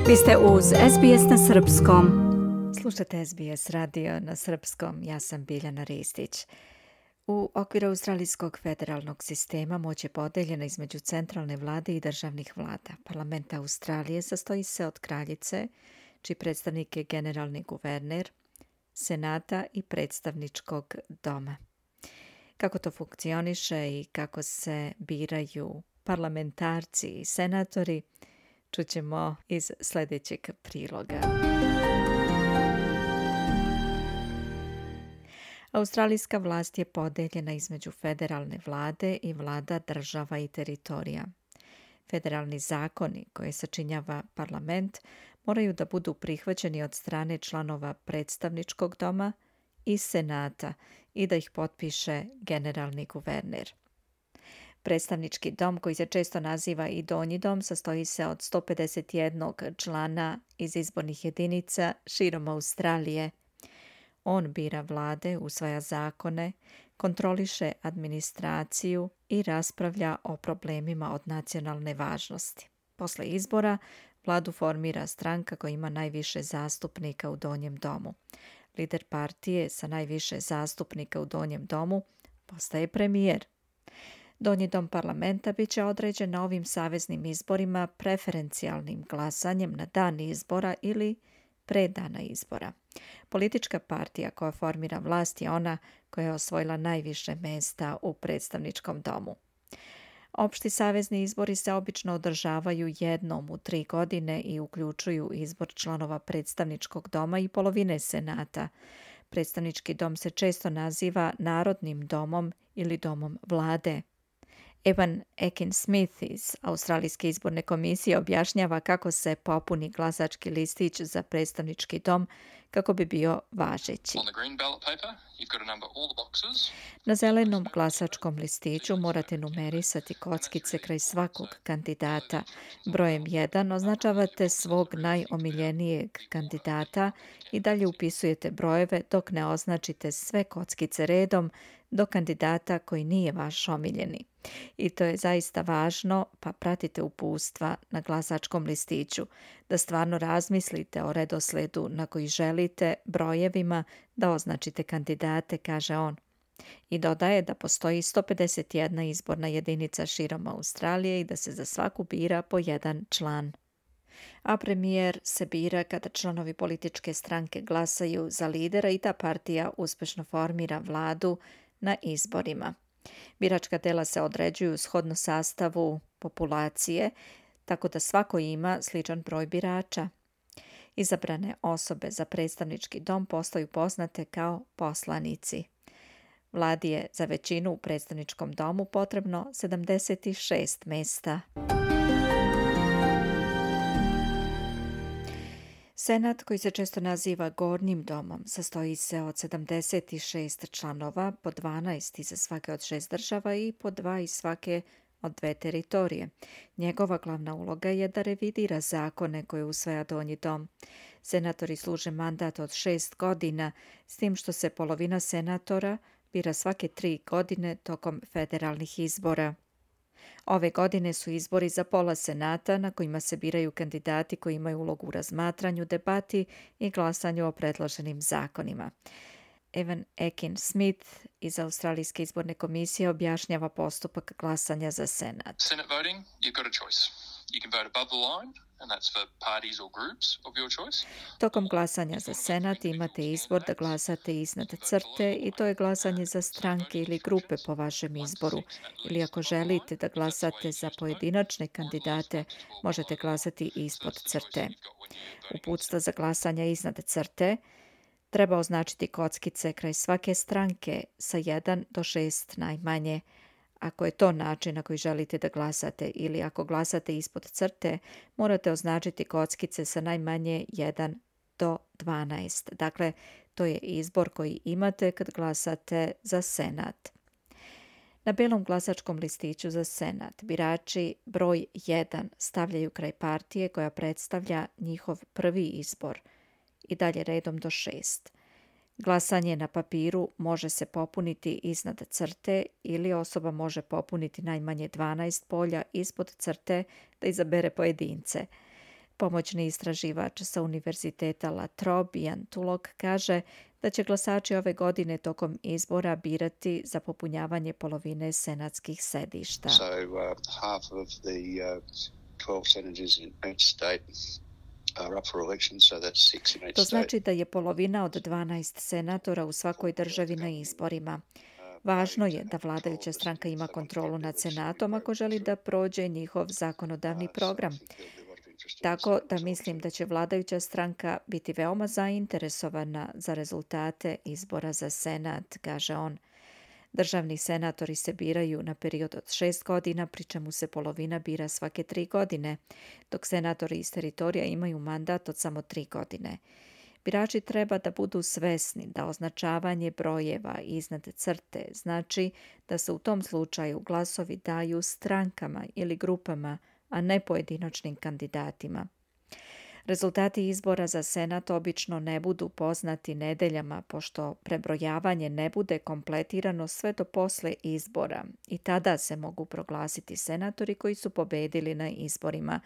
Vi ste uz SBS na srpskom. Slušate SBS radio na srpskom, ja sam Biljana Ristić. U okviru australijskog federalnog sistema moć je podeljena između centralne vlade i državnih vlada. Parlament Australije sastoji se od kraljice, čiji predstavnik je generalni guverner, senata i predstavničkog doma. Kako to funkcioniše i kako se biraju parlamentarci i senatori, čućemo iz sljedećeg priloga. Australijska vlast je podeljena između federalne vlade i vlada država i teritorija. Federalni zakoni koje sačinjava parlament moraju da budu prihvaćeni od strane članova predstavničkog doma i senata i da ih potpiše generalni guverner. Predstavnički dom, koji se često naziva i donji dom, sastoji se od 151 člana iz izbornih jedinica širom Australije. On bira vlade, usvaja zakone, kontroliše administraciju i raspravlja o problemima od nacionalne važnosti. Posle izbora vladu formira stranka koja ima najviše zastupnika u donjem domu. Lider partije sa najviše zastupnika u donjem domu postaje premijer. Donji dom parlamenta bit će određen na ovim saveznim izborima preferencijalnim glasanjem na dan izbora ili pre dana izbora. Politička partija koja formira vlast je ona koja je osvojila najviše mesta u predstavničkom domu. Opšti savezni izbori se obično održavaju jednom u 3 godine i uključuju izbor članova predstavničkog doma i polovine senata. Predstavnički dom se često naziva Narodnim domom ili domom vlade. Evan Ekin-Smith iz Australijske izborne komisije objašnjava kako se popuni glasački listić za predstavnički dom kako bi bio važeći. Na zelenom glasačkom listiću morate numerisati kockice kraj svakog kandidata. Brojem 1 označavate svog najomiljenijeg kandidata i dalje upisujete brojeve dok ne označite sve kockice redom do kandidata koji nije vaš omiljeni. I to je zaista važno, pa pratite uputstva na glasačkom listiću, da stvarno razmislite o redosledu na koji želite brojevima da označite kandidate, kaže on. I dodaje da postoji 151 izborna jedinica širom Australije i da se za svaku bira po jedan član. A premijer se bira kada članovi političke stranke glasaju za lidera i ta partija uspešno formira vladu na izborima. Biračka tela se određuju shodno sastavu populacije, tako da svako ima sličan broj birača. Izabrane osobe za predstavnički dom postaju poznate kao poslanici. Vladi je za većinu u predstavničkom domu potrebno 76 mesta. Senat, koji se često naziva Gornjim domom, sastoji se od 76 članova, po 12 iz svake od 6 država i po 2 iz svake od 2 teritorije. Njegova glavna uloga je da revidira zakone koje usvaja Donji dom. Senatori služe mandat od 6 godina, s tim što se polovina senatora bira svake 3 godine tokom federalnih izbora. Ove godine su izbori za pola senata na kojima se biraju kandidati koji imaju ulogu u razmatranju, debati i glasanju o predloženim zakonima. Evan Ekin-Smith iz Australijske izborne komisije objašnjava postupak glasanja za senat. Senate voting, you've got a choice. You can vote above the line, and that's for parties or groups of your choice. Tokom glasanja za senat imate izbor da glasate iznad crte i to je glasanje za stranke ili grupe po vašem izboru. Ili ako želite da glasate za pojedinačne kandidate, možete glasati ispod crte. Uputstva za glasanje iznad crte treba označiti kockice kraj svake stranke sa 1 do 6 najmanje. Ako je to način na koji želite da glasate ili ako glasate ispod crte, morate označiti kockice sa najmanje 1 do 12. Dakle, to je izbor koji imate kad glasate za senat. Na belom glasačkom listiću za senat birači broj 1 stavljaju kraj partije koja predstavlja njihov prvi izbor i dalje redom do 6. Glasanje na papiru može se popuniti iznad crte ili osoba može popuniti najmanje 12 polja ispod crte da izabere pojedince. Pomoćni istraživač sa Univerziteta La Trobe, Ian Tulloch, kaže da će glasači ove godine tokom izbora birati za popunjavanje polovine senatskih sedišta. So half of the 12 senators in each state are up for election, so that's 6 in each To state. znači da je polovina od 12 senatora u svakoj državi na izborima. Važno je da vladajuća stranka ima kontrolu nad senatom ako želi da prođe njihov zakonodavni program. Tako da mislim da će vladajuća stranka biti veoma zainteresovana za rezultate izbora za senat, kaže on. Državni senatori se biraju na period od 6 godina, pri čemu se polovina bira svake 3 godine, dok senatori iz teritorija imaju mandat od samo 3 godine. Birači treba da budu svesni da označavanje brojeva iznad crte znači da se u tom slučaju glasovi daju strankama ili grupama, a ne pojedinačnim kandidatima. Rezultati izbora za senat obično ne budu poznati nedeljama, pošto prebrojavanje ne bude kompletirano sve do posle izbora i tada se mogu proglasiti senatori koji su pobedili na izborima.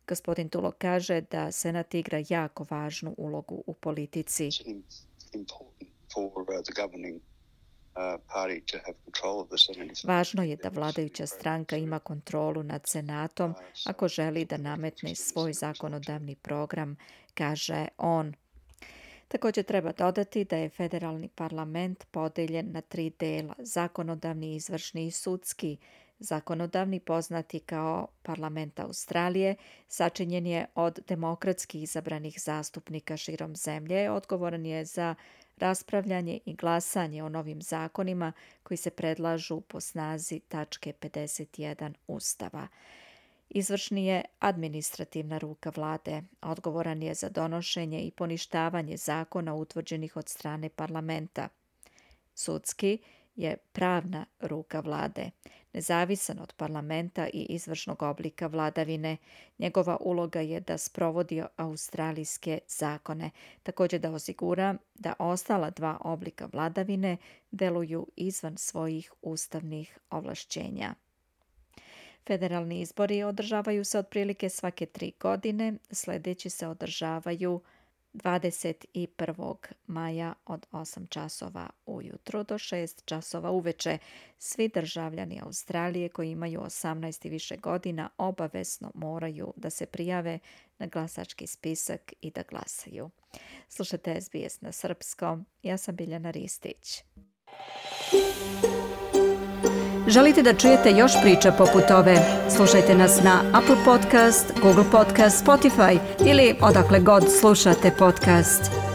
Gospodin Tulloch kaže da senat igra jako važnu ulogu u politici. Važno je da vladajuća stranka ima kontrolu nad senatom ako želi da nametne svoj zakonodavni program, kaže on. Također treba dodati da je federalni parlament podeljen na 3 dela, zakonodavni, izvršni i sudski. Zakonodavni, poznati kao Parlament Australije, sačinjen je od demokratski izabranih zastupnika širom zemlje, odgovoran je za raspravljanje i glasanje o novim zakonima koji se predlažu po snazi tačke 51 Ustava. Izvršni je administrativna ruka vlade, odgovoran je za donošenje i poništavanje zakona utvrđenih od strane parlamenta. Sudski je pravna ruka vlade, nezavisan od parlamenta i izvršnog oblika vladavine. Njegova uloga je da sprovodi australijske zakone, također da osigura da ostala 2 oblika vladavine deluju izvan svojih ustavnih ovlašćenja. Federalni izbori održavaju se otprilike svake 3 godine, sljedeći se održavaju 21. maja od 8 časova ujutro do 6 časova uveče. Svi državljani Australije koji imaju 18 i više godina obavezno moraju da se prijave na glasački spisak i da glasaju. Slušajte SBS na srpskom. Ja sam Biljana Ristić. Želite da čujete još priča poput ove? Slušajte nas na Apple Podcast, Google Podcast, Spotify ili odakle god slušate podcast.